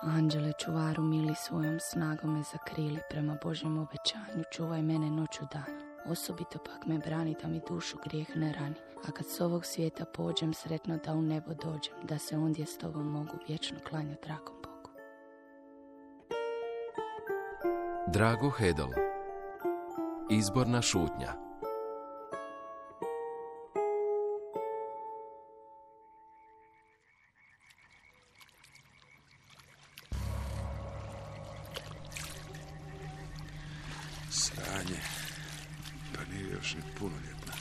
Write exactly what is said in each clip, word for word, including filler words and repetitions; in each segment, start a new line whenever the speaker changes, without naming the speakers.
Anđele čuvaru mili, svojom snagom me zakrili, prema Božjem obećanju čuvaj mene noću dan. Osobito pak me brani da mi dušu grijeh ne rani, a kad s ovog svijeta pođem, sretno da u nebo dođem, da se ondje s tobom mogu vječno klanjati dragom Bogu.
Drago Hedel. Izborna šutnja.
Sranje, pa nije još ni punoljetna.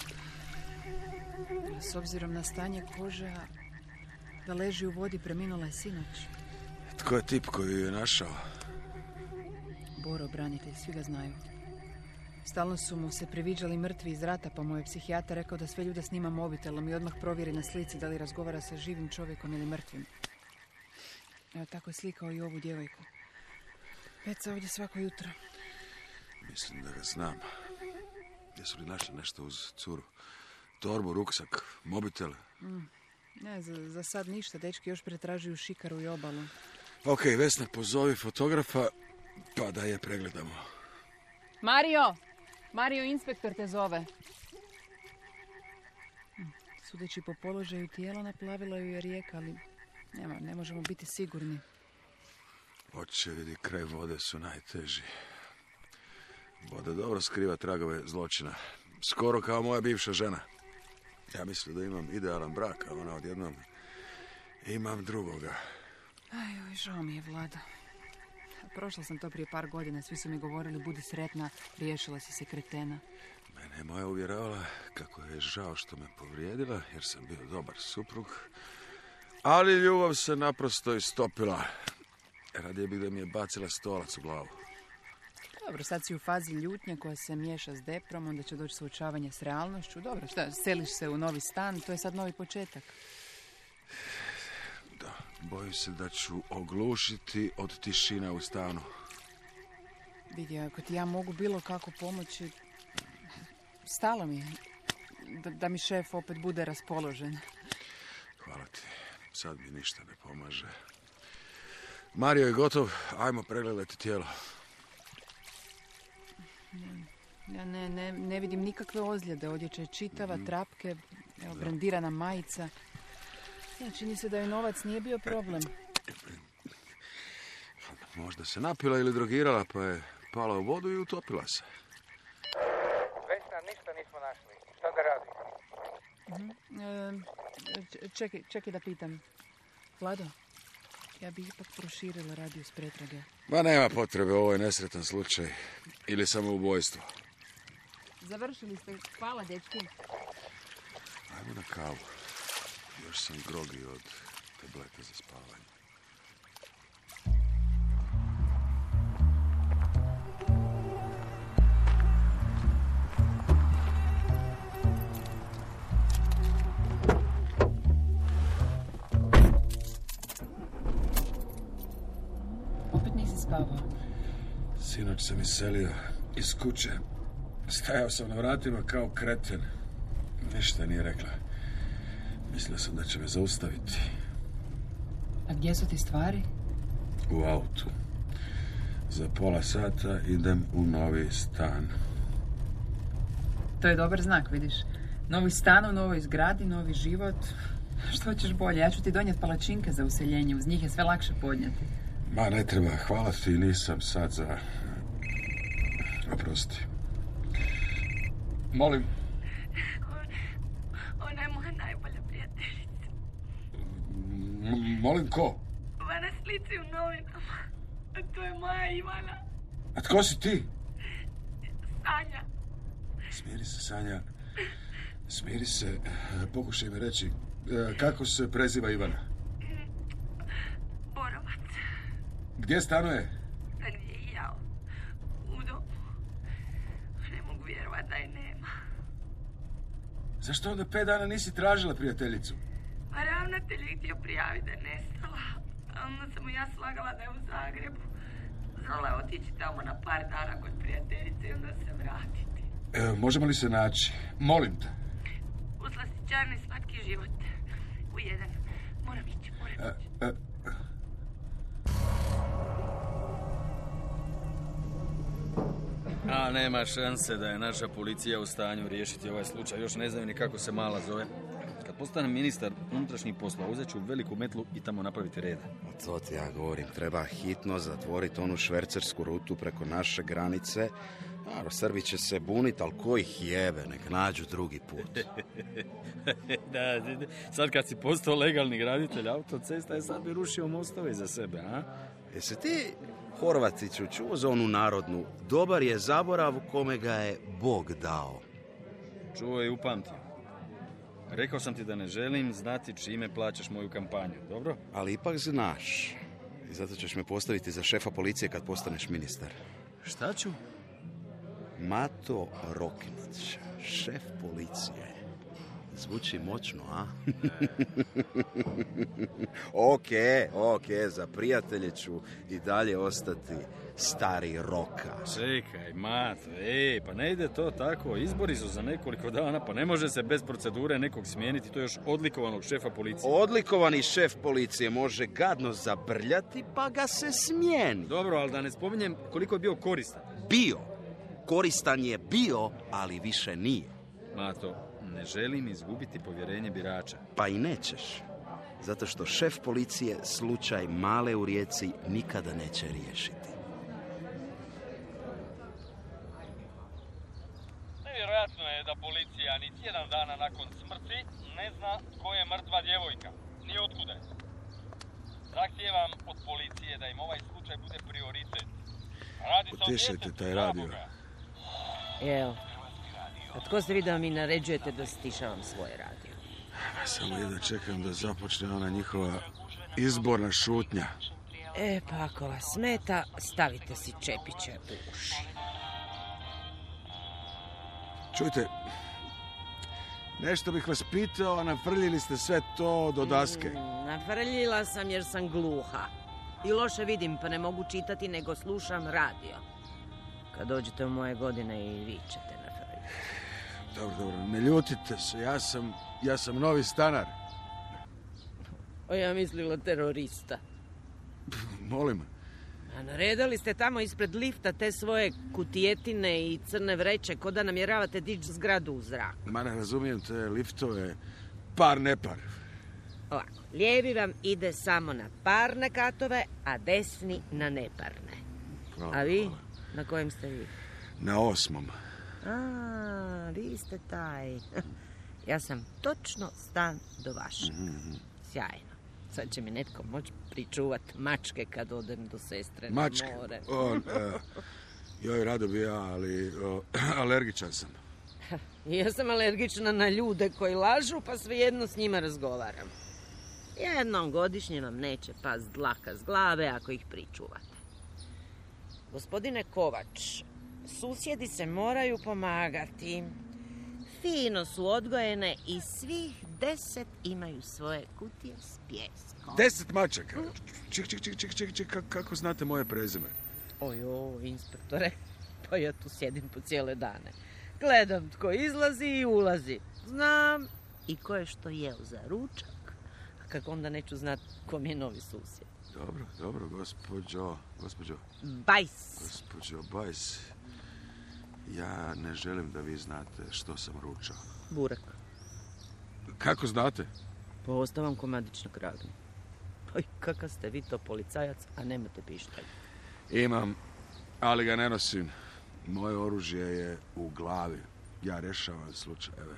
S obzirom na stanje kože, da leži u vodi, preminula je sinoć.
Tko je tip koji ju je našao?
Boro, branitelj, svi ga znaju. Stalno su mu se priviđali mrtvi iz rata, pa mu je psihijatar rekao da sve ljude snima mobitelom i odmah provjeri na slici da li razgovara sa živim čovjekom ili mrtvim. Evo, tako je slikao i ovu djevojku. Peca ovdje svako jutro.
Mislim da ga znam. Jesu li našli nešto uz curu? Torbu, ruksak, mobitel?
Mm. Ne, za, za sad ništa. Dečki još pretražuju šikaru i obalu.
Ok, Vesna, pozovi fotografa pa da je pregledamo.
Mario! Mario, inspektor te zove. Sudeći po položaju tijela, naplavila ju je rijeka, ali nema, ne možemo biti sigurni.
Očevidi kraj vode su najteži. Voda dobro skriva tragove zločina. Skoro kao moja bivša žena. Ja mislim da imam idealan brak, a ona odjednom imam drugoga.
Aj, oj, žao mi je, Vlada. Prošla sam to prije par godina, svi su mi govorili budi sretna, riješila si se kretena.
Mene je moja uvjeravala kako je žao što me povrijedila, jer sam bio dobar suprug. Ali ljubav se naprosto istopila. Radije bih da mi je bacila stolac u glavu.
Dobro, sad si u fazi ljutnje koja se miješa s deprom, onda će doći suočavanje s realnošću. Dobro, šta, seliš se u novi stan, to je sad novi početak.
Da, bojim se da ću oglušiti od tišina u stanu.
Vidi, ako ti ja mogu bilo kako pomoći, stalo mi je da, da mi šef opet bude raspoložen.
Hvala ti, sad mi ništa ne pomaže. Mario je gotov, ajmo pregledati tijelo.
Ja ne, ne, ne vidim nikakve ozljede, odjeća je čitava, mm. trapke, evo, brandirana majica. Ja, čini se da joj novac nije bio problem.
Možda se napila ili drogirala, pa je pala u vodu i utopila se.
Vesna, ništa nismo našli. Šta da radimo?
Mm-hmm. E, čekaj, čekaj da pitam. Vlado, ja bih ipak proširila radijus pretrage.
Ma nema potrebe, ovo je nesretan slučaj. Ili samoubojstvo.
Završili ste. Hvala, dečki.
Ajmo na kavu. Još sam grogi od tableta za spavanje.
Opet nisi spavao?
Sinoć sam iselio iz kuće. Stajao sam na vratima kao kreten. Ništa nije rekla. Mislio sam da će me zaustaviti.
A gdje su ti stvari?
U autu. Za pola sata idem u novi stan.
To je dobar znak, vidiš. Novi stan u novoj zgradi, novi život. Što ćeš bolje? Ja ću ti donijeti palačinke za useljenje. Uz njih je sve lakše podnijeti.
Ma, ne treba. Hvala ti, nisam sad za... Oprosti. Molim.
Ona je moja najbolja prijateljica.
M- molim ko?
Ova na slici u novinama. A to je moja Ivana.
A tko si ti?
Sanja.
Smiri se, Sanja. Smiri se. Pokušaj mi reći. Kako se preziva Ivana?
Borovac.
Gdje stanuje?
Gdje i ja. U domu. Ne mogu vjerovat da je nema.
Zašto onda pet dana nisi tražila prijateljicu?
A ravnatelj je htio prijaviti da je nestala. A onda sam mu ja slagala da je u Zagrebu. Znala je otići tamo na par dana kod prijateljice i onda se vratiti.
E, možemo li se naći? Molim te.
U slastičarni slatki život. U jedan. Moram ići, moram ići.
E, e.
nema šanse da je naša policija u stanju riješiti ovaj slučaj. Još ne znaju ni kako se mala zove. Kad postanem ministar unutrašnjih poslova, uzet ću veliku metlu i tamo napraviti reda.
O to ti ja govorim. Treba hitno zatvoriti onu švercersku rutu preko naše granice. Naravno, Srbi će se buniti, ali ko ih jebe, nek nađu drugi put.
Da, sad kad si postao legalni graditelj autocesta, je sad bi rušio mostove za sebe, a?
Jesi ti, Horvatiću, čuo za onu narodnu? Dobar je zaborav kome ga je Bog dao.
Čuo i upamtio. Rekao sam ti da ne želim znati čime plaćaš moju kampanju, dobro?
Ali ipak znaš. I zato ćeš me postaviti za šefa policije kad postaneš ministar.
Šta ću?
Mato Roknić, šef policije. Zvuči moćno, a? Ok, ok, za prijatelje ću i dalje ostati stari Roka.
Čekaj, Mato, ej, pa ne ide to tako. Izbori su za nekoliko dana, pa ne može se bez procedure nekog smijeniti, to je još odlikovanog šefa policije.
Odlikovani šef policije može gadno zabrljati, pa ga se smijeni.
Dobro, ali da ne spominjem koliko je bio koristan.
Bio. Koristan je bio, ali više nije.
Mato, ne želim izgubiti povjerenje birača.
Pa i nećeš. Zato što šef policije slučaj Male u Rijeci nikada neće riješiti.
Nevjerojatno je da policija ni tjedan dana nakon smrti ne zna tko je mrtva djevojka. Ni otkuda je. Zahtijevam od policije da im ovaj slučaj bude prioritet. Radi se o
Utišajte
djetetu
taj radio.
samoga.
Evo, a tko ste vi da mi naređujete da stišavam svoje radio?
Samo jedno čekam da započne ona njihova izborna šutnja.
E, pa ako vas smeta, stavite si čepiće u uši.
Čujte, nešto bih vas pitao, a nafrljili ste sve to do daske.
Mm, nafrljila sam jer sam gluha. I loše vidim, pa ne mogu čitati, nego slušam radio. Kad dođete u moje godine i vi ćete nafrljiti.
Dobro, dobro, ne ljutite se, ja sam, ja sam novi stanar.
O, ja mislila terorista.
Molim.
A naredali ste tamo ispred lifta te svoje kutijetine i crne vreće, ko da namjeravate dići zgradu u zrak.
Ma ne razumijem te liftove, par nepar.
Ovako, lijevi vam ide samo na parne katove, a desni na neparne.
Hvala,
A vi?
hvala.
Na kojem ste vi?
Na osmom.
A, vi ste taj. Ja sam točno stan do vašeg.
Mm-hmm.
Sjajno. Sad će mi netko moći pričuvat mačke kad odem do sestre na
Mačke?
more.
O, e, joj, rado bi ja, ali o, alergičan sam.
Ja sam alergična na ljude koji lažu, pa svejedno s njima razgovaram. Jednom godišnje vam neće past dlaka s glave ako ih pričuvate. Gospodine Kovač, susjedi se moraju pomagati. Fino su odgojene i svih deset imaju svoje kutije s pijeskom.
Deset mačaka. Ček, ček, ček, ček, ček, ček, kako- kako znate moje prezime?
Ojo, inspektore, pa ja tu sjedim po cijele dane. Gledam tko izlazi i ulazi. Znam i ko je što jeo za ručak. A kako onda neću znati ko mi je novi susjed.
Dobro, dobro, gospođo, gospođo,
Bajs.
gospođo Bajs. Ja ne želim da vi znate što sam ručao.
Burak.
Kako znate?
Pa ostavam komadić na kragnu. Oj, kakav ste vi to policajac, a nemate pištolj.
Imam, ali ga ne nosim. Moje oružje je u glavi. Ja rješavam slučajeve.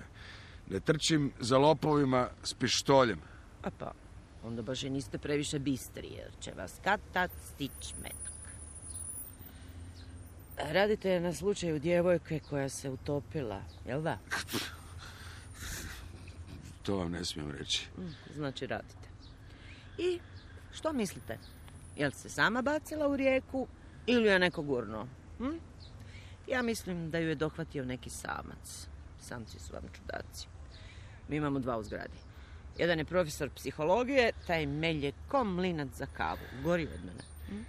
Ne trčim za lopovima s pištoljem.
A pa, onda baš i niste previše bistri, jer će vas kad tad stić metak. Radite na slučaju djevojke koja se utopila, jel da?
To vam ne smijem reći.
Znači radite. I što mislite? Jel se sama bacila u rijeku ili je neko gurnuo? Hm? Ja mislim da ju je dohvatio neki samac. Samci su vam čudaci. Mi imamo dva u zgradi. Jedan je profesor psihologije, taj melje ko mlinac za kavu. Gori od mene. Hm?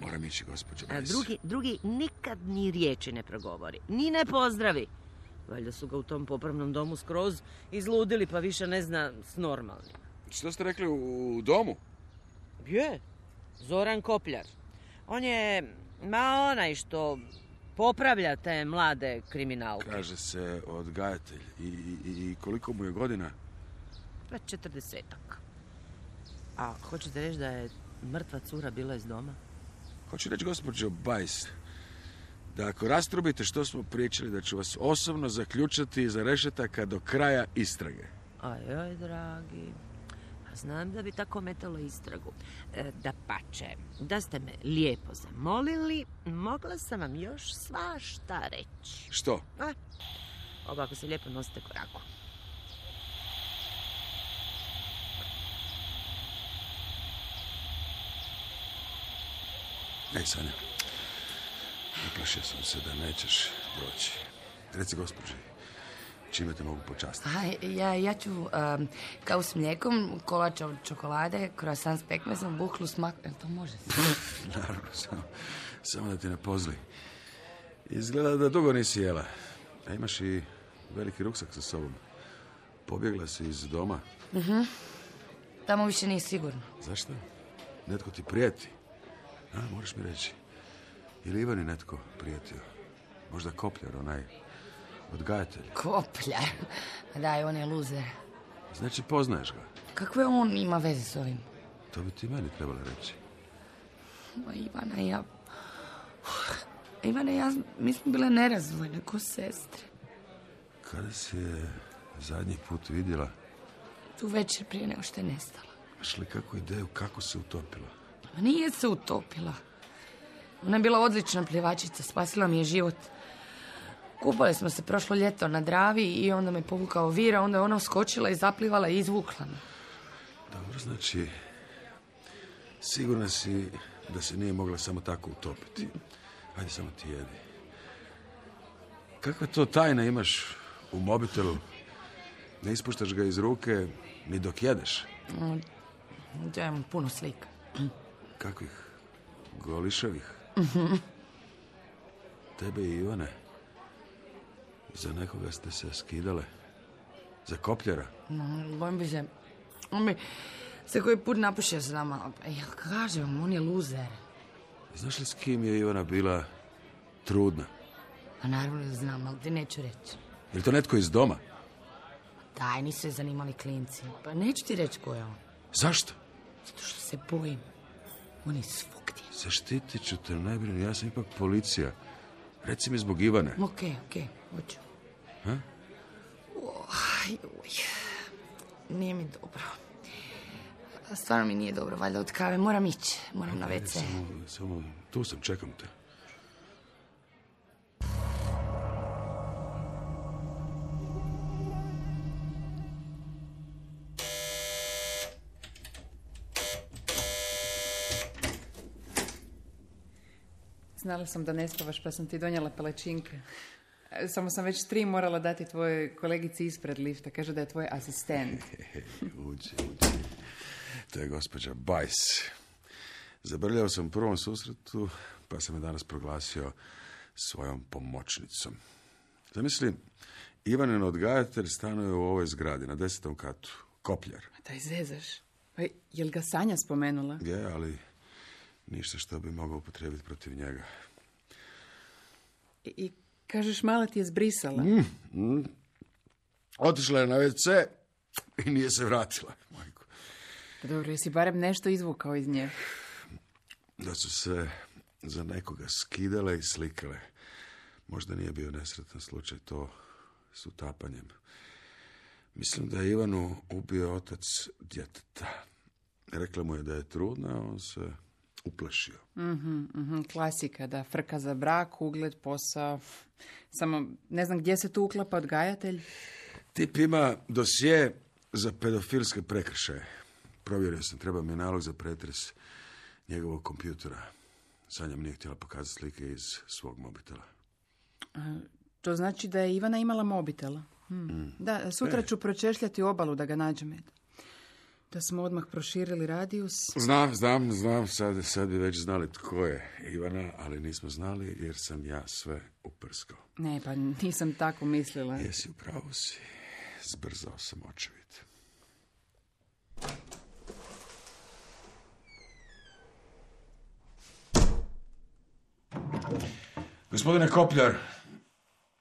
Moram ići, gospođo
A
Bajs.
drugi, drugi nikad ni riječi ne progovori. Ni ne pozdravi. Valjda su ga u tom popravnom domu skroz izludili, pa više ne zna s normalnim.
Što ste rekli, u domu?
Je, Zoran Kopljar. On je, ma onaj što popravlja te mlade kriminalke.
Kaže se odgajatelj. I, i, i koliko mu je godina?
Već četrdesetak. A hoćete reći da je mrtva cura bila iz doma?
Hoću reći, gospođo Bajs, da ako rastrubite što smo pričali, da ću vas osobno zaključati iza rešetaka do kraja istrage.
Ajoj, dragi, a znam da bi tako metalo istragu. E, da pače, da ste me lijepo zamolili, mogla sam vam još svašta reći.
Što?
A, ovako se lijepo nosite koraku.
Ej, Sanja, uplašio sam se da nećeš doći. Reci, gospođi, čime te mogu počastiti?
A, ja, ja ću um, kao s mlijekom, kolača od čokolade, croissant s pekmezom, buhlu s mak... Jel to može?
Naravno, samo, samo da ti ne pozli. Izgleda da dugo nisi jela. A imaš i veliki ruksak sa sobom. Pobjegla si iz doma.
Uh-huh. Tamo više nije sigurno.
Zašto? Netko ti prijeti. A, moraš mi reći. Ili Ivani netko prijetio? Možda Kopljar, onaj odgajatelj.
Kopljar? Daj, on je luzer.
Znači, poznaješ ga?
Kakve on ima veze s ovim?
To bi ti meni trebalo reći.
Ma, Ivana i ja... Ivana i ja, mi smo bile nerazvojne, ko sestre.
Kada si je zadnji put vidjela?
Tu večer prije nego što je nestala.
Imaš li kakvu ideju kako se utopila?
Ma nije se utopila. Ona je bila odlična plivačica, spasila mi je život. Kupali smo se prošlo ljeto na Dravi i onda me povukao vir, a onda je ona uskočila i zaplivala i izvukla me.
Dobro, znači, sigurna si da se nije mogla samo tako utopiti. Ajde, samo ti jedi. Kakva to tajna imaš u mobitelu? Ne ispuštaš ga iz ruke ni dok jedeš?
Ja imam puno slika.
Kakvih? Goliševih? Tebe i Ivane? Za nekoga ste se skidale? Za Kopljara?
No, bojim bi se. On bi se koji put napušio s nama. Ja kažem, on je luzer.
Znaš li s kim je Ivana bila trudna?
Pa naravno da znam, ali ti neću reći.
Je li to netko iz doma?
Daj, nisu je zanimali klinci. Pa neću ti reći ko je on.
Zašto?
Zato što se bojim. On je svugdje.
Zaštitit ću te, ne brini, ja sam ipak policija. Reci mi zbog Ivane.
Okej, okej, hoću.
Ha?
Oj, oj. Nije mi dobro. Stvarno mi nije dobro, valjda od kave. Moram ići, moram na ve ce.
Samo, samo, tu sam, čekam te.
Znala sam da ne spavaš, pa sam ti donijela palačinke. Samo sam već tri morala dati tvojoj kolegici ispred lifta. Kaže da je tvoj asistent.
Uđi, uđi. To je gospođa Bajs. Zabrljao sam u prvom susretu, pa sam je danas proglasio svojom pomoćnicom. Zamisli, Ivanin odgajatelj stanuje u ovoj zgradi, na desetom katu. Kopljar.
Daj zezaš. Pa je li ga Sanja spomenula?
Je, ali ništa što bi mogao upotrijebiti protiv njega.
I, i kažeš, mala ti je zbrisala.
Mm, mm. Otišla je na ve ce i nije se vratila. Majko.
Dobro, jesi barem nešto izvukao iz nje?
Da su se za nekoga skidale i slikale. Možda nije bio nesretan slučaj to s utapanjem. Mislim da je Ivanu ubio otac djeteta. Rekla mu je da je trudna, a on se uplašio.
Mm-hmm, mm-hmm, klasika, da frka za brak, ugled, posao. Samo ne znam gdje se tu uklapa odgajatelj.
Tip ima dosje za pedofilske prekršaje. Provjerio sam, treba mi nalog za pretres njegovog kompjutera. Sanja mi nije htjela pokazati slike iz svog mobitela.
A, to znači da je Ivana imala mobitela. Hm. Mm. Da, sutra e. ću pročešljati obalu da ga nađem. Da smo odmah proširili radijus.
Znam, znam, znam. Sad, sad bi već znali tko je Ivana, ali nismo znali jer sam ja sve uprskao.
Ne, pa nisam tako mislila.
Jesi, upravo si. Zbrzao sam očevid. Gospodine Kopljar,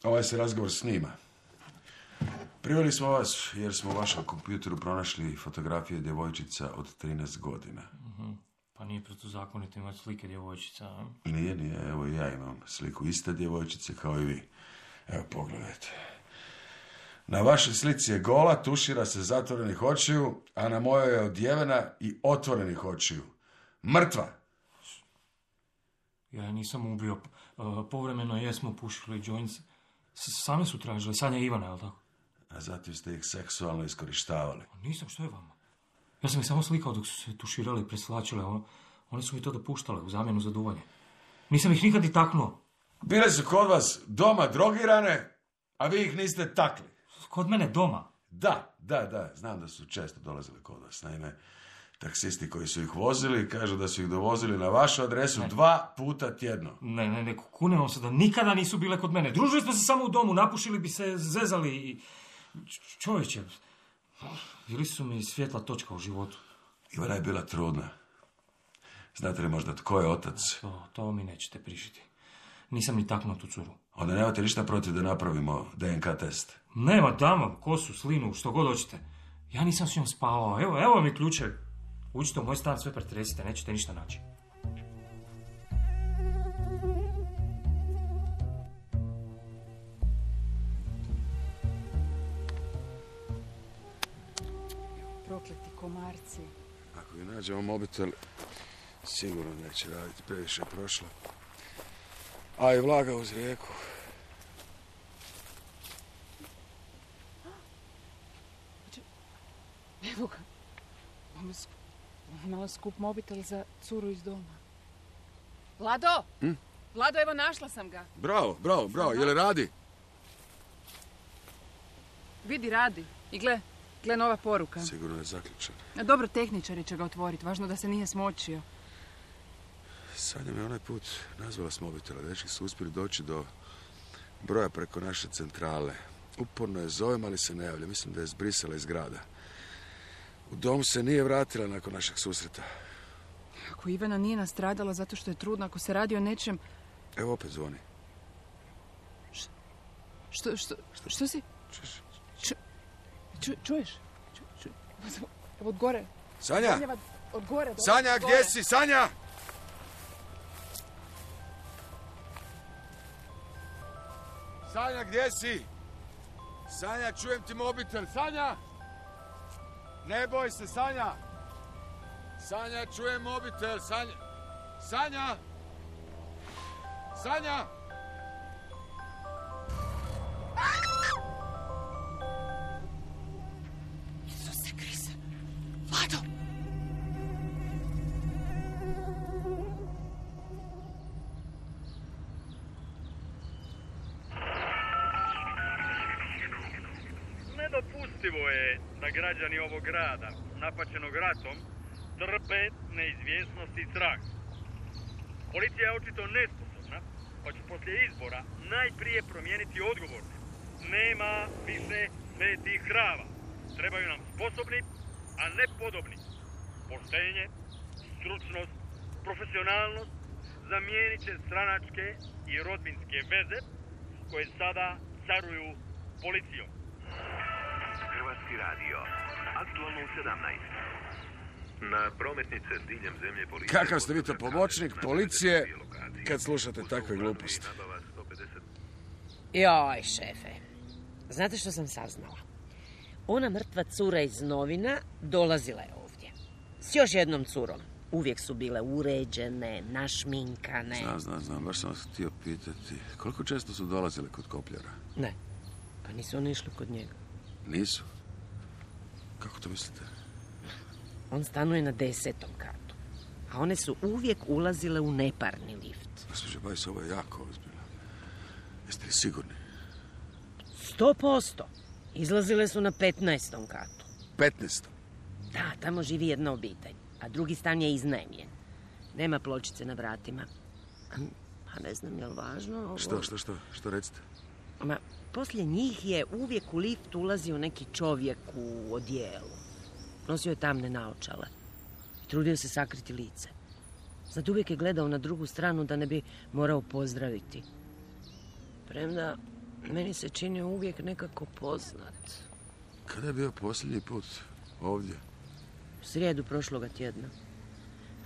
ovaj se razgovor snima. Priveli smo vas jer smo u vašem kompjuteru pronašli fotografije djevojčica od trinaest godina.
Uh-huh. Pa nije protuzakonito imati slike djevojčica, a?
Nije, nije. Evo ja imam sliku iste djevojčice kao i vi. Evo, pogledajte. Na vašoj slici je gola, tušira se zatvorenih očiju, a na mojoj je odjevena i otvorenih očiju. Mrtva!
Ja je nisam ubio. Povremeno jesmo pušili joints. Same su tražili. Sanja i Ivana, je li tako?
A zatim ste ih seksualno iskorištavali.
Nisam, što je vama? Ja sam ih samo slikao dok su se tuširali i preslačile. One, one su mi to dopuštale u zamjenu za duvanje. Nisam ih nikad i taknuo.
Bile su kod vas doma drogirane, a vi ih niste takli.
Kod mene doma?
Da, da, da. Znam da su često dolazili kod vas. Naime, taksisti koji su ih vozili kažu da su ih dovozili na vašu adresu ne. dva puta tjedno.
Ne, ne, ne, kunem vam se da nikada nisu bile kod mene. Družili smo se samo u domu, napušili bi se, zezali i... Čovječe, bili su mi svjetla točka u životu.
Ivana je bila trudna. Znate li možda tko je otac?
To, to mi nećete prišiti. Nisam ni taknuo tu curu.
Onda nemate ništa protiv da napravimo D N K test?
Nema, dam vam kosu, slinu, što god hoćete. Ja nisam s njom spavao. Evo, evo mi ključevi. Uđite u moj stan, sve pretresite, nećete ništa naći.
Prokleti komarci.
Ako i nađemo mobitel, sigurno neće raditi, previše je prošlo. A i vlaga uz rijeku.
Evo ga. Imala skup mobitel za curu iz doma. Vlado! Hm? Vlado, evo našla sam ga.
Bravo, bravo, bravo. Je li radi?
Vidi, radi. I gle, gle nova poruka.
Sigurno je zaključen.
Dobro, tehničari će ga otvoriti. Važno da se nije smočio.
Sanja me onaj put nazvala s mobitela. Dečki su uspjeli doći do broja preko naše centrale. Uporno je zovem, ali se ne javlja. Mislim da je zbrisala iz grada. U dom se nije vratila nakon našeg susreta.
Ako Ivana nije nastradala zato što je trudna, ako se radi o nečem...
Evo opet zvoni.
Š... Što, što, što, što si?
Čuješ?
Ču... Ču... Čuješ? Ču... Ču... Evo od gore.
Sanja!
Sanja, od gore. Do...
Sanja,
od
gdje
gore.
si? Sanja! Sanja, gdje si? Sanja, čujem ti mobitel. Sanja! Ne boj se, Sanja! Sanja, čujem mobitel. Sanja! Sanja! Sanja!
Isuse Kriste! Vlado!
Nedopustivo je da građani ovog grada, napaćenog ratom, trpe neizvjesnost i strah. Policija je očito nesposobna, pa će poslije izbora najprije promijeniti odgovorne. Nema više svetih krava. Trebaju nam sposobni, a ne podobni. Poštenje, stručnost, profesionalnost zamijenit će stranačke i rodbinske veze koje sada caruju policijom.
Hrvatski radio, aktualno u sedamnaest. Na prometnice diljem zemlje policije...
Kakav ste vi to pomoćnik policije kad slušate takve gluposti?
Joj, šefe. Znate što sam saznala? Ona mrtva cura iz novina dolazila je ovdje. S još jednom curom. Uvijek su bile uređene, našminkane.
Znam, znam, znam. Baš sam vas htio pitati. Koliko često su dolazile kod Kopljara?
Ne. Pa nisu oni išli kod njega.
Nisu? Kako to mislite?
On stanuje na desetom katu. A one su uvijek ulazile u neparni lift.
Gospođo Bajs, ovo je jako ozbiljno. Jeste li sigurni?
Sto posto. Izlazile su na petnaestom katu.
Petnaestom?
Da, tamo živi jedna obitelj. A drugi stan je iznajmljen. Nema pločice na vratima. A, a ne znam je li važno ovo...
Što, što, što? Što recite?
Ma, poslije njih je uvijek u lift ulazio neki čovjek u odijelu. Nosio je tamne naočale. I trudio se sakriti lice. Sad uvijek je gledao na drugu stranu da ne bi morao pozdraviti. Premda, meni se čini uvijek nekako poznat.
Kada je bio posljednji put ovdje?
U srijedu prošloga tjedna.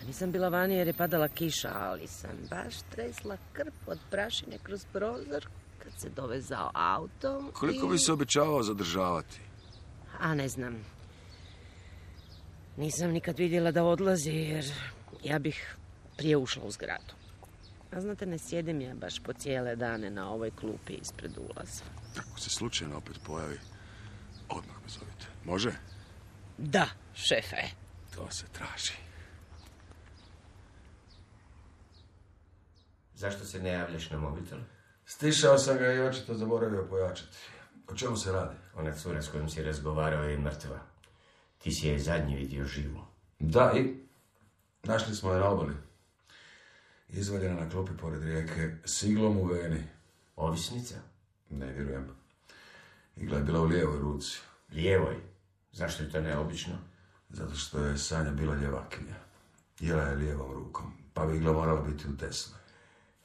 A nisam bila vani jer je padala kiša, ali sam baš tresla krp od prašine kroz prozor kad se dovezao autom.
Koliko
i...
bi se običavao zadržavati?
A ne znam. Nisam nikad vidjela da odlazi jer ja bih prije ušla u zgradu. A znate, ne sjedim ja baš po cijele dane na ovoj klupi ispred ulaza.
Ako se slučajno opet pojavi, odmah me zovite. Može?
Da, šefe.
To se traži.
Zašto se ne javljaš na mobitel?
Stišao sam ga i očito zaboravio pojačati. O čemu se radi?
Ona cura s kojom si razgovarao je mrtva. Ti si je zadnji vidio živu.
Da, i našli smo je na obali. Izvaljena na klupi pored rijeke, s iglom u veni.
Ovisnica?
Ne vjerujem. Igla je bila u lijevoj ruci.
Lijevoj? Zašto je to neobično?
Zato što je Sanja bila ljevakinja. Jela je lijevom rukom, pa bi igla morala biti u desnoj.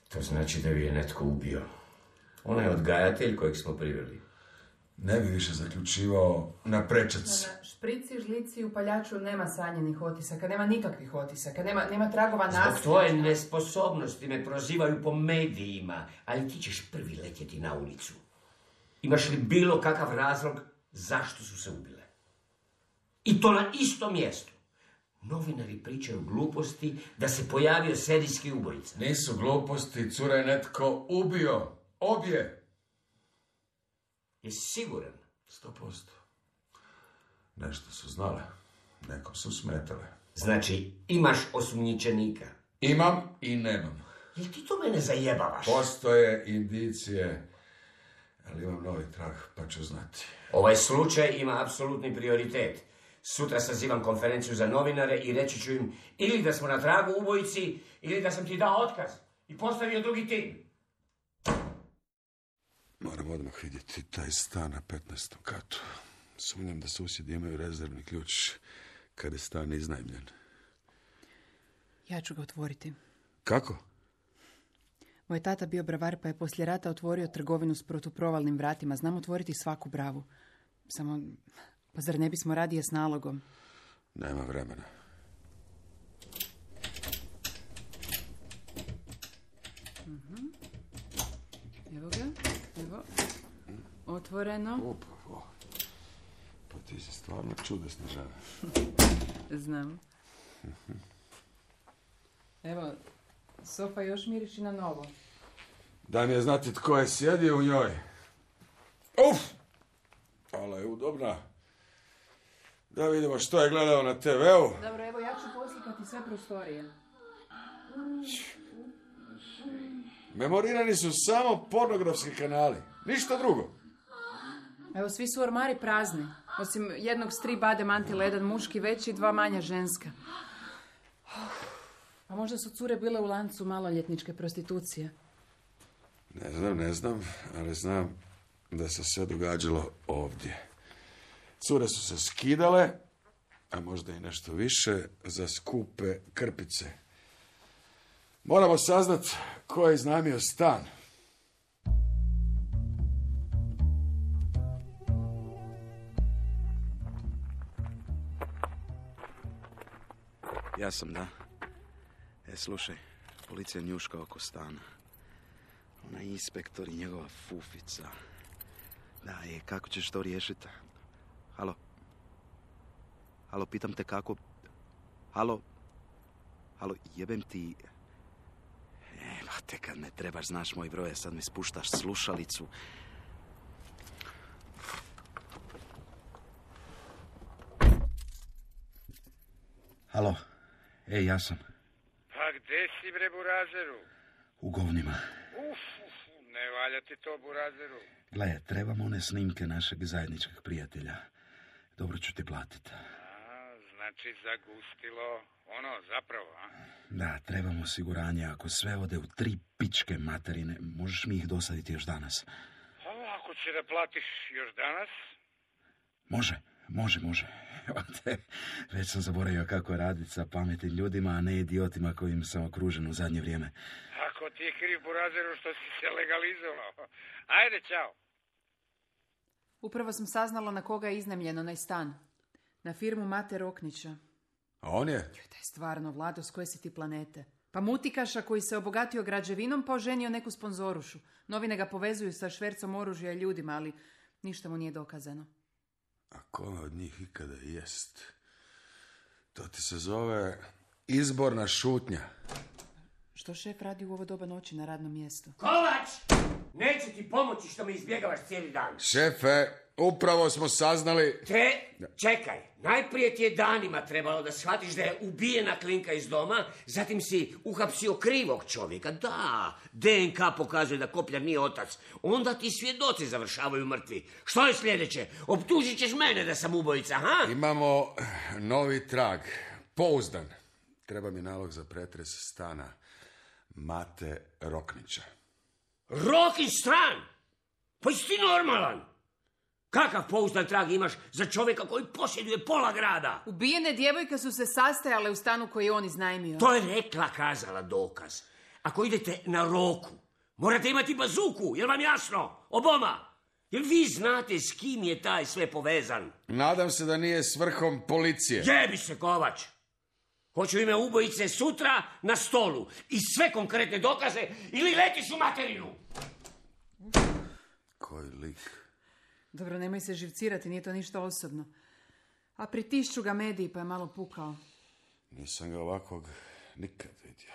To znači da bi je netko ubio. Ona je odgajatelj kojeg smo priveli.
Ne bi više zaključivao na prečac.
Na šprici, žlici i upaljaču nema sanjenih otisaka, nema nikakvih otisaka, nema, nema tragova nasilja.
Zbog tvoje nesposobnosti me prozivaju po medijima, ali ti ćeš prvi letjeti na ulicu. Imaš li bilo kakav razlog zašto su se ubile? I to na istom mjestu. Novinari pričaju gluposti da se pojavio serijski ubojica.
Nisu gluposti, cura je netko ubio. Obje.
Jesi siguran?
Sto posto. Nešto su znale. Nekom su smetale.
Znači, imaš osumnjičenika?
Imam i nemam.
Jel ti to mene zajebavaš?
Postoje indicije, ali imam novi trag, pa ću znati.
Ovaj slučaj ima apsolutni prioritet. Sutra sazivam konferenciju za novinare i reći ću im ili da smo na tragu ubojici, ili da sam ti dao otkaz i postavio drugi tim.
Moram odmah vidjeti taj stan na petnaestom katu. Sumnjam da susjedi imaju rezervni ključ kada je stan iznajmljen.
Ja ću ga otvoriti.
Kako?
Moj tata bio bravar pa je poslije rata otvorio trgovinu s protuprovalnim vratima. Znam otvoriti svaku bravu. Samo, pa zar ne bismo radije s nalogom?
Nema vremena.
Uh-huh. Evo ga, evo. Otvoreno.
Opa, o. Pa ti si stvarno čudesna žena.
Znam.
Uh-huh.
Evo, sofa još miriši na novo.
Daj mi je znati tko je sjedio u njoj. Uf! Ali je udobna. Da vidimo što je gledao na te veu.
Dobro, evo ja ću poslikati sve prostorije.
Memorirani su samo pornografski kanali. Ništa drugo.
Evo, svi su ormari prazni. Osim jednog s tri bade mantile, jedan muški veći i dva manja ženska. A možda su cure bile u lancu maloljetničke prostitucije.
Ne znam, ne znam, ali znam da se sve događalo ovdje. Cure su se skidale, a možda i nešto više, za skupe krpice. Moramo saznat ko je iznajmio stan.
Ja sam, da. E, slušaj, policija njuška oko stana. Ona inspektor i njegova fufica. Da, je, kako ćeš to riješiti? Halo? Halo, pitam te kako... Halo? Halo, jebem ti... E, ba, te kad ne trebaš, znaš moj broj, sad mi spuštaš slušalicu. Halo, ej, ja sam.
Pa gdje si, bre, burazeru?
U govnima.
Uf, uf, ne valja ti to, burazeru.
Gle, trebamo one snimke našeg zajedničkog prijatelja. Dobro ću ti platiti.
A, znači zagustilo ono, zapravo, a?
Da, trebamo osiguranje. Ako sve ode u tri pičke materine, možeš mi ih dosaditi još danas.
A, ako će da platiš još danas?
Može, može, može. Evo te, već sam zaboravio kako raditi sa pametnim ljudima, a ne idiotima kojim sam okružen u zadnje vrijeme.
Ako Ovo ti je kriv po razeru što si se legalizovao. Ajde, čao.
Upravo sam saznala na koga je iznajmljen onaj stan. Na firmu Mate Roknića.
A on je?
Joj, taj stvarno, Vlado, s koje si ti planete? Pa mutikaša koji se obogatio građevinom pa oženio neku sponzorušu. Novine ga povezuju sa švercom oružja i ljudima, ali ništa mu nije dokazano.
A kome od njih ikada jest? To ti se zove izborna šutnja.
Što šef radi u ovo doba noći na radnom mjestu?
Kovač! Neće ti pomoći što me izbjegavaš cijeli dan.
Šefe, upravo smo saznali...
Te, čekaj, najprije ti je danima trebalo da shvatiš da je ubijena Klinka iz doma, zatim si uhapsio krivog čovjeka. Da, D N K pokazuje da Kopljar nije otac. Onda ti svjedoci završavaju mrtvi. Što je sljedeće? Optužit ćeš mene da sam ubojica, ha?
Imamo novi trag, pouzdan. Treba mi nalog za pretres stana Mate Roknića.
Rokić stran? Pa jesi ti normalan? Kakav pouzdan trag imaš za čovjeka koji posjeduje pola grada?
Ubijene djevojke su se sastajale u stanu koji je on iznajmio.
To je rekla, kazala dokaz. Ako idete na Roku, morate imati bazuku, jel vam jasno? Oboma. Jel vi znate s kim je taj sve povezan?
Nadam se da nije s vrhom policije.
Jebi se, Kovač. Hoću ime ubojice sutra na stolu. I sve konkretne dokaze ili letiš u materinu.
Koji lik.
Dobro, nemoj se živcirati, nije to ništa osobno. A pritišću ga mediji pa je malo pukao.
Nisam ga ovakvog nikad vidio.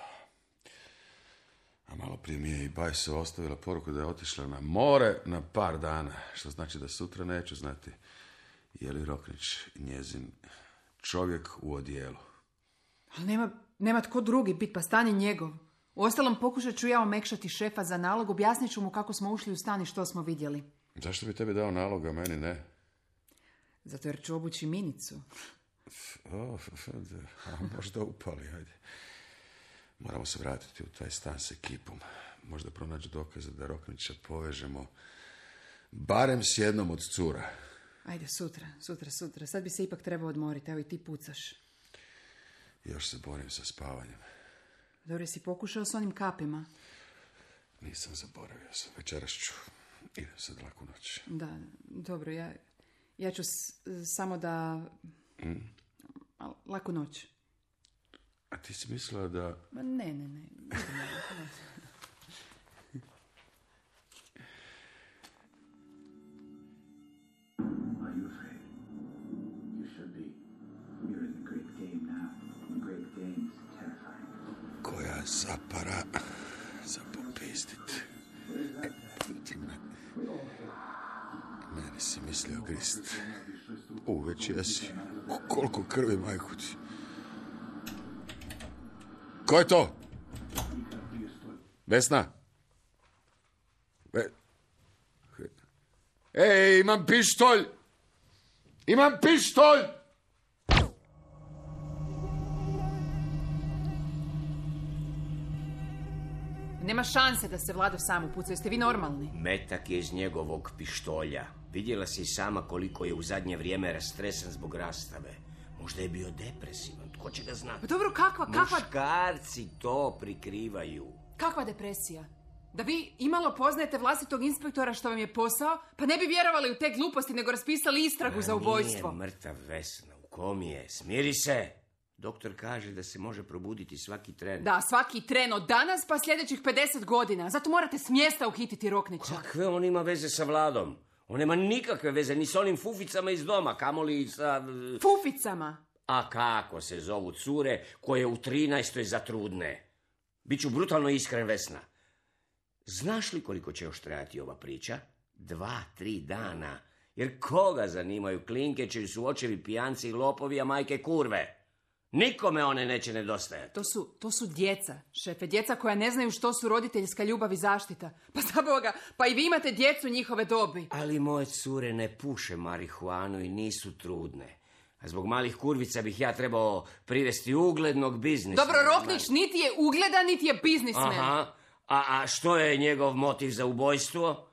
A malo prije mi je i Bajso ostavila poruku da je otišla na more na par dana. Što znači da sutra neću znati je li Roknić njezin čovjek u odijelu.
Ali nema, nema tko drugi bit, pa stan je njegov. Uostalom pokušat ću ja omekšati šefa za nalog, objasnit ću mu kako smo ušli u stan i što smo vidjeli.
Zašto bi tebi dao nalog, a meni ne?
Zato jer ću obući minicu.
O, a možda upali, ajde. Moramo se vratiti u taj stan s ekipom. Možda pronaći dokaze da Roknića povežemo barem s jednom od cura.
Ajde, sutra, sutra, sutra. Sad bi se ipak trebao odmoriti, evo i ti pucaš.
Još se borim sa spavanjem.
Dobro, si pokušao s onim kapima?
Nisam zaboravio sam. Večeras ću. Idem sad laku noć.
Da, dobro, ja, ja ću s, samo da... Mm. Laku noć.
A ti si mislila da...
Ma ne, ne, ne.
Koja zapara za popistit. E, ti me... Meni si mislio grist. U, već jesi. Koliko krvi, majku ti. Ko je to? Vesna? Ve... Ej, imam pištolj! Imam pištolj!
Nema šanse da se Vlado sam upuca, jeste vi normalni?
Metak je iz njegovog pištolja. Vidjela si sama koliko je u zadnje vrijeme rastresan zbog rastave. Možda je bio depresivan, tko će ga znati?
Pa dobro, kakva, kakva...
Muškarci to prikrivaju.
Kakva depresija? Da vi imalo poznajete vlastitog inspektora što vam je posao, pa ne bi vjerovali u te gluposti, nego raspisali istragu
A
za ubojstvo.
Nije mrtav, Vesna, u kom je? Smiri se! Doktor kaže da se može probuditi svaki tren.
Da, svaki tren od danas pa sljedećih pedeset godina. Zato morate s mjesta uhititi Roknića.
Kakve on ima veze sa Vladom? On nema nikakve veze ni s onim fuficama iz doma, kamoli sa...
Fuficama?
A kako se zovu cure koje u trinaestoj zatrudne? Biću brutalno iskren, Vesna. Znaš li koliko će još trajati ova priča? Dva, tri dana. Jer koga zanimaju klinke čiji su očevi pijanci i lopovi, a majke kurve? Nikome one neće nedostajati.
To su, to su djeca, šefe. Djeca koja ne znaju što su roditeljska ljubav i zaštita. Pa za Boga, pa i vi imate djecu njihove dobi.
Ali moje cure ne puše marihuanu i nisu trudne. A zbog malih kurvica bih ja trebao privesti uglednog biznismena.
Dobro, Roknić niti je ugledan, niti je biznismen.
Aha. A, a što je njegov motiv za ubojstvo?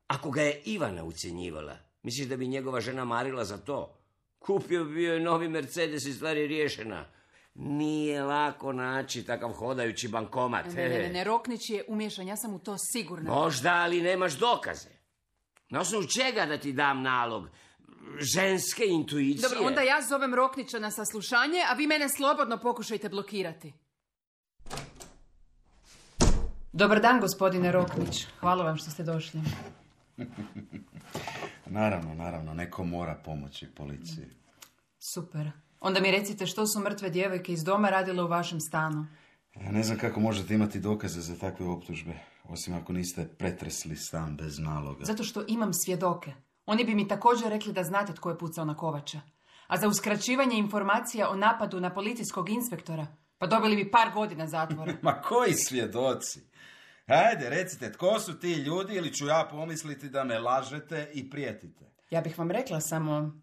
Ako ga je Ivana ucjenjivala, misliš da bi njegova žena marila za to? Kupio bi joj novi Mercedes i stvar je riješena. Nije lako naći takav hodajući bankomat.
Ne, ne, ne, ne, Roknić je umiješan, ja sam u to sigurna.
Možda, ali nemaš dokaze. Na osnovu čega da ti dam nalog? Ženske intuicije?
Dobro, onda ja zovem Roknića na saslušanje, a vi mene slobodno pokušajte blokirati. Dobar dan, gospodine Roknić. Hvala vam što ste došli.
Naravno, naravno, neko mora pomoći policiji.
Super. Onda mi recite što su mrtve djevojke iz doma radile u vašem stanu.
Ja ne znam kako možete imati dokaze za takve optužbe, osim ako niste pretresli stan bez naloga.
Zato što imam svjedoke. Oni bi mi također rekli da znate tko je pucao na Kovača. A za uskraćivanje informacija o napadu na policijskog inspektora, pa dobili bi par godina zatvora.
Ma koji svjedoci? Ajde, recite, tko su ti ljudi ili ću ja pomisliti da me lažete i prijetite?
Ja bih vam rekla, samo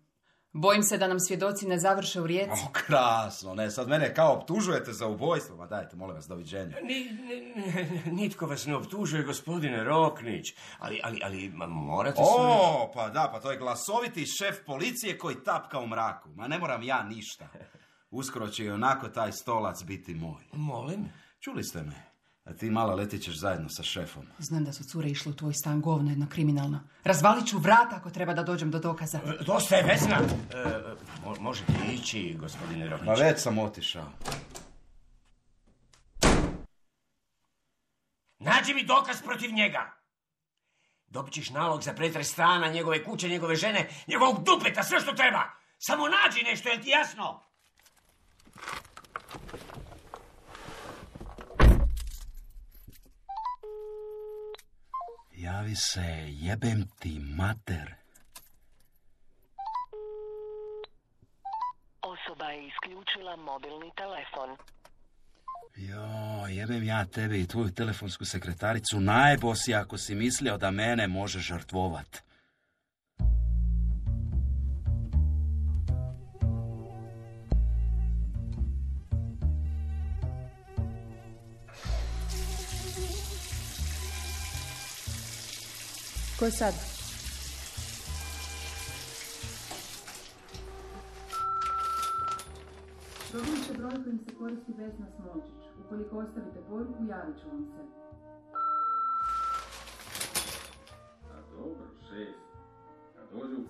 bojim se da nam svjedoci ne završe u Rijeci.
O, krasno, ne, sad mene kao optužujete za ubojstvo. Ma dajte, molim vas, doviđenja.
Ni, ni, nitko vas ne optužuje, gospodine Roknić, ali, ali, ali ma, morate...
O, pa da, pa to je glasoviti šef policije koji tapka u mraku. Ma ne moram ja ništa. Uskoro će i onako taj stolac biti moj.
Molim?
Čuli ste me. A ti mala letit ćeš zajedno sa šefom.
Znam da su cure išle u tvoj stan, govno jedno kriminalno. Razvalit ću vrata ako treba da dođem do dokaza.
E, dosta je, Vesna. E, mo, možete ići, gospodine Roknić.
Ma već sam otišao.
Nađi mi dokaz protiv njega. Dobit ćeš nalog za pretres stana, njegove kuće, njegove žene, njegovog dupeta, sve što treba. Samo nađi nešto, je ti jasno?
Javi se, jebem ti mater.
Osoba je isključila mobilni telefon.
Jo, jebem ja tebe i tvoju telefonsku sekretaricu najbo si ako si mislio da mene može žrtvovat.
Ko je sad? Dobili će broj kojim se koristi Vesna Smolčić. Ukoliko ostavite poruku, javit ću vam se.
A dobro, šest. Kad dođu,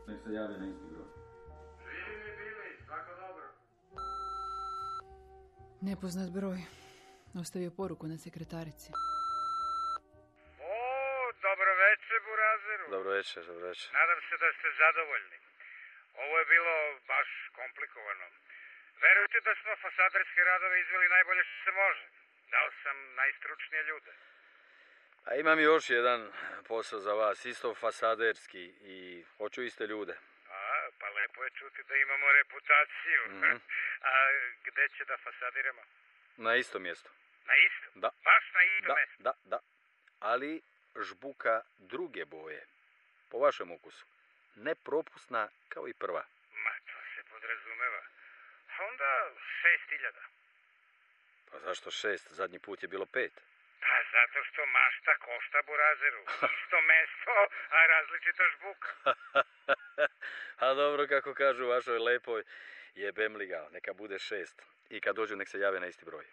nek se jave na isti broj. Živi mi bili, svako dobro.
Nepoznat broj. Ostavio poruku na sekretarici.
Dobro večer, Burazeru.
Dobro večer, dobro večer.
Nadam se da ste zadovoljni. Ovo je bilo baš komplikovano. Verujte da smo fasaderske radove izveli najbolje što se može. Dao sam najstručnije ljude.
A imam još jedan posao za vas, isto fasaderski i hoću iste ljude.
A, pa lepo je čuti da imamo reputaciju. Mm-hmm. A gde će da fasadiramo?
Na isto mjesto.
Na isto?
Da.
Baš na isto
da,
mjesto?
Da, da. Ali žbuka druge boje. Po vašem ukusu. Ne propusna kao i prva.
Ma, to se podrazumeva. Onda šest hiljada.
Pa zašto šest? Zadnji put je bilo pet.
Pa zato što mašta košta, Burazeru. Isto mesto, a različita žbuka.
A dobro, kako kažu u vašoj lepoj, jebem li ga, neka bude šest. I kad dođu, nek se jave na isti broj.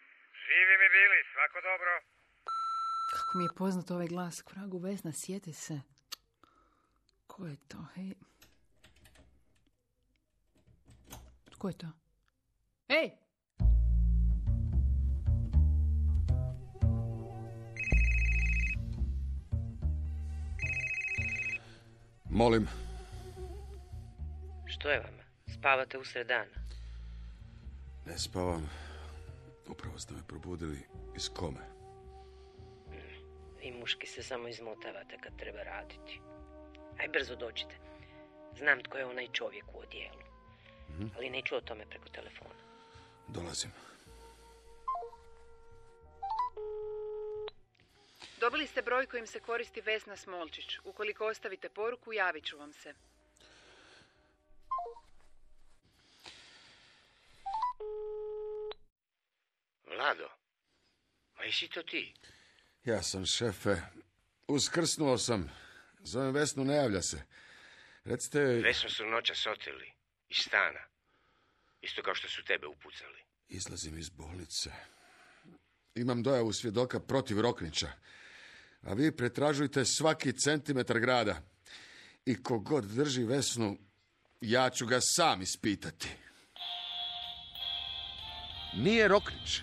Živi mi bili, svako dobro.
Kako mi je poznat ovaj glas, k vragu Vesna, sjeti se. Ko je to, hej? Ko je to? Ej!
Molim.
Što je vama? Spavate usred dana?
Ne spavam. Upravo ste me probudili iz kome.
Vi muški se samo izmotavate kad treba raditi. Aj brzo dođite. Znam tko je onaj čovjek u odijelu. Mm-hmm. Ali neću o tome preko telefona.
Dolazim.
Dobili ste broj kojim se koristi Vesna Smolčić. Ukoliko ostavite poruku, javit ću vam se.
Vlado, ma jesi to ti?
Ja sam, šefe. Uskrsnuo sam. Zovem Vesnu, ne javlja se. Recite...
Vesnu su noćas oteli iz stana. Isto kao što su tebe upucali.
Izlazim iz bolnice. Imam dojavu svjedoka protiv Roknića. A vi pretražujte svaki centimetar grada. I kogod drži Vesnu, ja ću ga sam ispitati. Nije Roknić.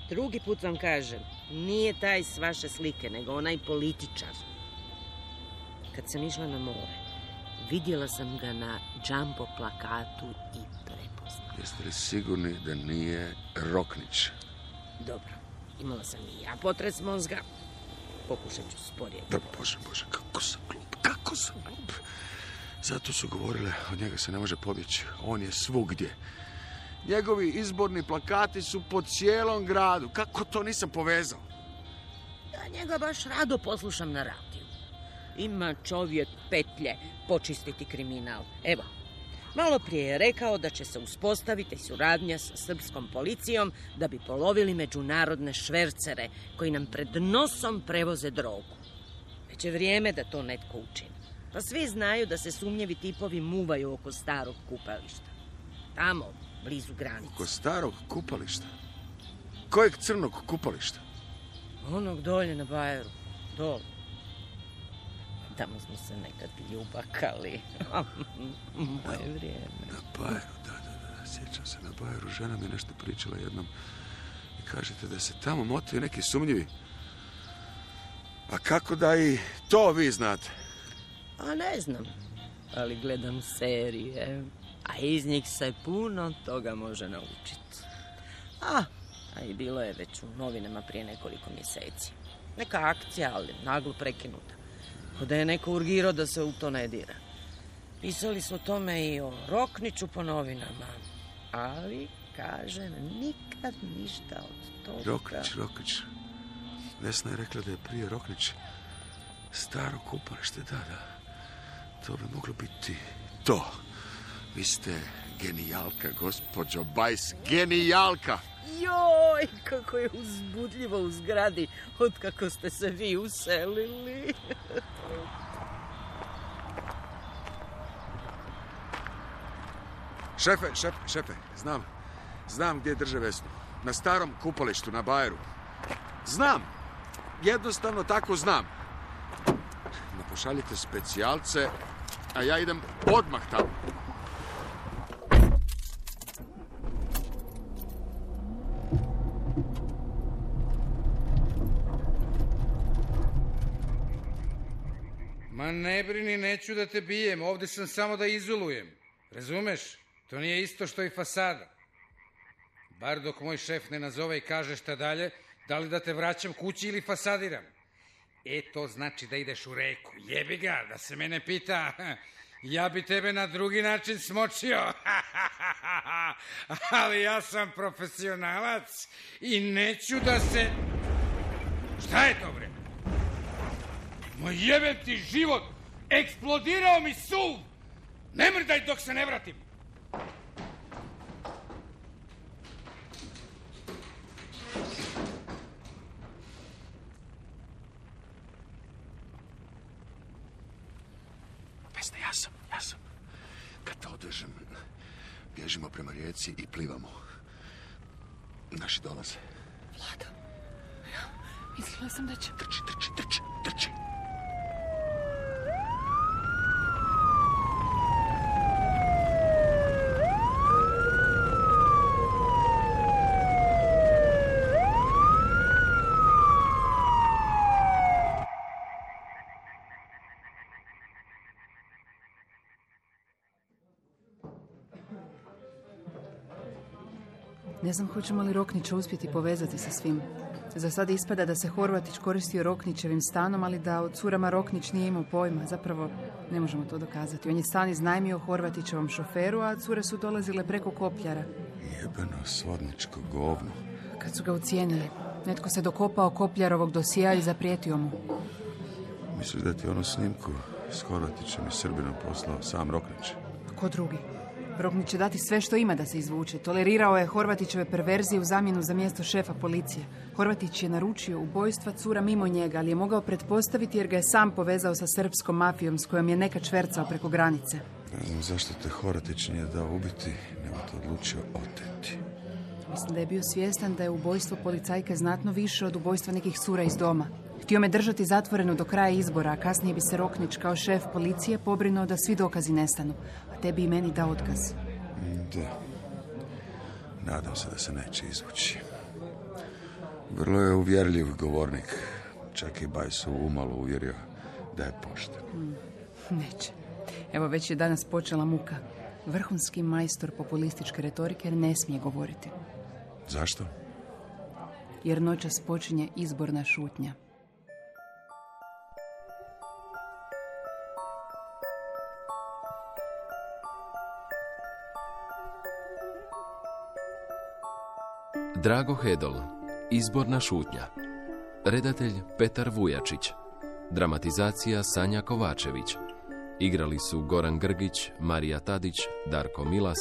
Drugi put vam kažem, nije taj s vaše slike, nego onaj političar. Kad sam išla na more, vidjela sam ga na jumbo plakatu i prepoznala.
Jeste li sigurni da nije Roknić?
Dobro, imala sam i ja potres mozga. Pokušat ću sporije.
Da, bože, bože, kako sam glup, kako sam glup. Zato su govorile, od njega se ne može pobjeći. On je svugdje. Njegovi izborni plakati su po cijelom gradu. Kako to nisam povezao?
Ja njega baš rado poslušam na radiju. Ima čovjek petlje počistiti kriminal. Evo, malo prije je rekao da će se uspostaviti suradnja sa srpskom policijom da bi polovili međunarodne švercere koji nam pred nosom prevoze drogu. Već je vrijeme da to netko učini. Pa svi znaju da se sumnjivi tipovi muvaju oko starog kupališta. Tamo, blizu granice.
Oko starog kupališta? Kojeg crnog kupališta?
Onog dolje na Bajeru. Dole. Tamo smo se nekad ljubakali. Moje vrijeme.
Na Bajeru, da, da, da. Sjećam se na Bajeru. Žena mi nešto pričala jednom. I kažete da se tamo motaju neki sumnjivi. A kako da i to vi znate?
A ne znam. Ali gledam serije. A iz njih se puno toga može naučiti. A, a i bilo je već u novinama prije nekoliko mjeseci. Neka akcija, ali naglo prekinuta. Ko da je neko urgirao da se u to ne dira. Pisali su o tome i o Rokniću po novinama. Ali, kažem, nikad ništa od toga.
Roknić, Roknić. Vesna je rekla da je prije Roknić staro kupalište, da, da. To bi moglo biti to. Vi ste genijalka, gospođo Bajs, genijalka!
Joj, kako je uzbudljivo u zgradi od kako ste se vi uselili.
Šefe, šefe, šefe, znam. Znam gdje drže Vesnu. Na starom kupalištu, na Bajeru. Znam. Jednostavno tako znam. Napošaljite specijalce, a ja idem odmah tamo.
Ma ne brini, neću da te bijem, ovdje sam samo da izolujem. Razumeš? To nije isto što i fasada. Bar dok moj šef ne nazove i kaže šta dalje, da li da te vraćam kući ili fasadiram. E, to znači da ideš u reku. Jebi ga, da se mene pita, ja bi tebe na drugi način smočio. Ali ja sam profesionalac i neću da se... Šta je to, bre? Moj jebem ti život, eksplodirao mi suv. Ne mrdaj dok se ne vratim.
Vesna, ja sam, ja sam. Kad te odvežem, bježimo prema rijeci i plivamo. Naši dolaze.
Vlado, ja mislila sam da će...
Trči, trči, trči, trči.
Ne znam hoćemo li Roknića uspjeti povezati sa svim. Za sad ispada da se Horvatić koristio Roknićevim stanom, ali da o curama Roknić nije imao pojma. Zapravo ne možemo to dokazati. On je stan iznajmio Horvatićevom šoferu, a cure su dolazile preko kopljara.
Jebeno svodničko govno.
Kad su ga ucijenili, netko se dokopao kopljarovog dosija i zaprijetio mu.
Misliš da ti onu snimku s Horvatićem i Srbinom poslao sam Roknić?
Ko drugi? Roknić će dati sve što ima da se izvuče. Tolerirao je Horvatićeve perverzije u zamjenu za mjesto šefa policije. Horvatić je naručio ubojstva cura mimo njega, ali je mogao pretpostaviti jer ga je sam povezao sa srpskom mafijom s kojom je nekad švercao preko granice.
Ne znam zašto te Horatić nije dao ubiti, nego te odlučio oteti.
Mislim da je bio svjestan da je ubojstvo policajke znatno više od ubojstva nekih cura iz doma. Htio me držati zatvoreno do kraja izbora, a kasnije bi se Roknić kao šef policije pobrinuo da svi dokazi nestanu, a tebi i meni dao otkaz.
Da. Nadam se da se neće izvući. Vrlo je uvjerljiv govornik. Čak i Bajsu umalo uvjerio da je pošten.
Mm, neće. Evo, već je danas počela muka. Vrhunski majstor populističke retorike ne smije govoriti.
Zašto?
Jer noćas počinje izborna šutnja.
Drago Hedl, izborna šutnja. Redatelj Petar Vujačić. Dramatizacija Sanja Kovačević. Igrali su Goran Grgić, Marija Tadić, Darko Milas,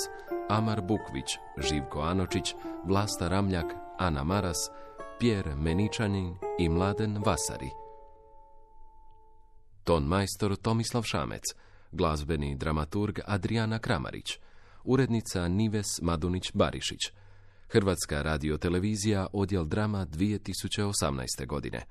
Amar Bukvić, Živko Anočić, Vlasta Ramljak, Ana Maras, Pjer Meničanin i Mladen Vasari. Ton majstor Tomislav Šamec, glazbeni dramaturg Adriana Kramarić, urednica Nives Madunić-Barišić, Hrvatska radiotelevizija, odjel drama dvije tisuće osamnaeste godine.